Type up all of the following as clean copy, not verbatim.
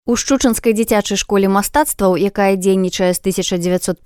У Шчучынскай дзіцячай школе мастацтваў, якая дзейнічае з 1957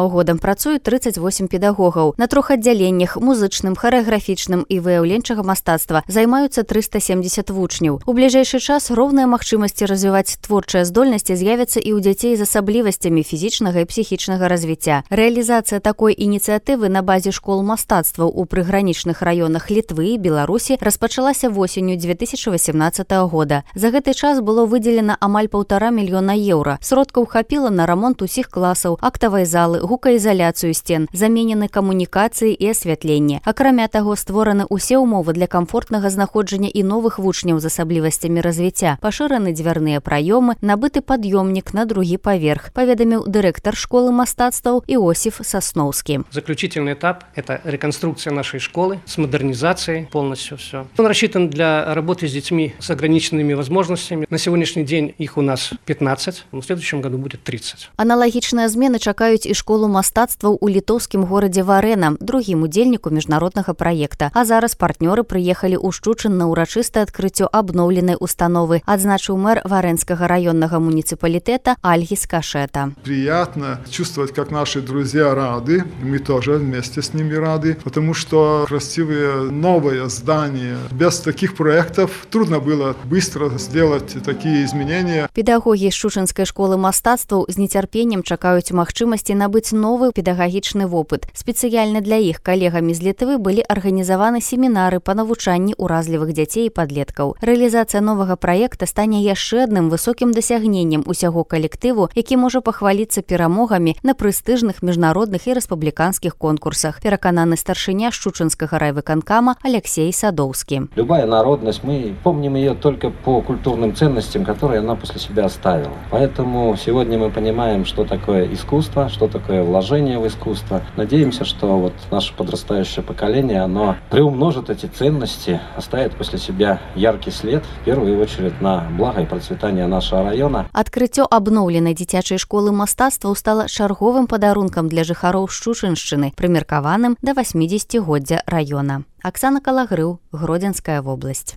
годам, працуюць 38 педагогаў. На 3 аддзяленнях музычным, харэаграфічным і выяўленчага мастацтва займаюцца 370 вучняў. У бліжэйшы час роўныя магчымасці развіваць творчыя здольнасці з'явяцца і ў дзяцей з асаблівасцямі фізічнага і псіхічнага развіцця. Рэалізацыя такой ініцыятывы на базе школ мастацтваў у прыгранічных раёнах Літвы і Беларусі распачалася восенню 2018 года. За гэты час было выделена амаль 1,5 мільёна еўра. Сродкаў хапіла на рамонт усіх класаў, актавай залы, гукаізаляцыю сцен, заменены камунікацыі і асвятленне. Акрамя таго, створаны ўсе ўмовы для камфортнага знаходжання і новых вучняў з асаблівасцямі развіцця. Пашыраны дзвярныя праёмы, набыты пад'ёмнік на другі паверх, паведаміў дырэктар школы мастацтваў Иосиф Сосновский. Заключительный этап – это реконструкция нашей школы с модернизацией, полностью все. Он рассчитан для работы с детьми с ограниченными возможностями. На сегодняшний день их у нас 15, в следующем году будет 30. Аналагічныя змены чакаюць і школу мастацтваў у літоўскім горадзе Варэна, другім удзельніку міжнароднага праекта. А зараз партнёры прыехалі ў Шчучын на ўрачыстае адкрыццё абноўленай установы, адзначыў мэр Варэнскага раённага муніцыпалітэта Альгис Кашета. Приятно чувствовать, как наши друзья рады, мы тоже вместе с ними рады, потому что красивые новые здания. Без таких проектов трудно было быстро сделать такие изменения. Педагогі Шчучынскай школы мастацтваў з нецярпеннем чакаюць магчымасці набыць новы педагагічны вопыт. Спецыяльна для іх калегамі з Літвы былі арганізаваны семінары па навучанні ўразлівых дзяцей і падлеткаў. Рэалізацыя новага праекта стане яшчэ адным высокім дасягненнем усяго калектыву, які можа пахваліцца перамогамі на прэстыжных міжнародных і рэспубліканскіх конкурсах, перакананы старшыня Шчучынскага райвыканкама Алексей Садоўскі. Любая народность, мы помним ее только по культурным ценностям, которые она после себя оставила. Поэтому сегодня мы понимаем, что такое искусство, что такое вложение в искусство. Надеемся, что вот наше подрастающее поколение, оно приумножит эти ценности, оставит после себя яркий след, в первую очередь на благо и процветание нашего района. Адкрыццё абноўленай дзіцячай школы мастацтваў стала чарговым падарункам для жыхароў Шчучыншчыны, прымеркаваным да 80-годдзя раёна. Оксана Калагрыў, Гродзенская вобласць.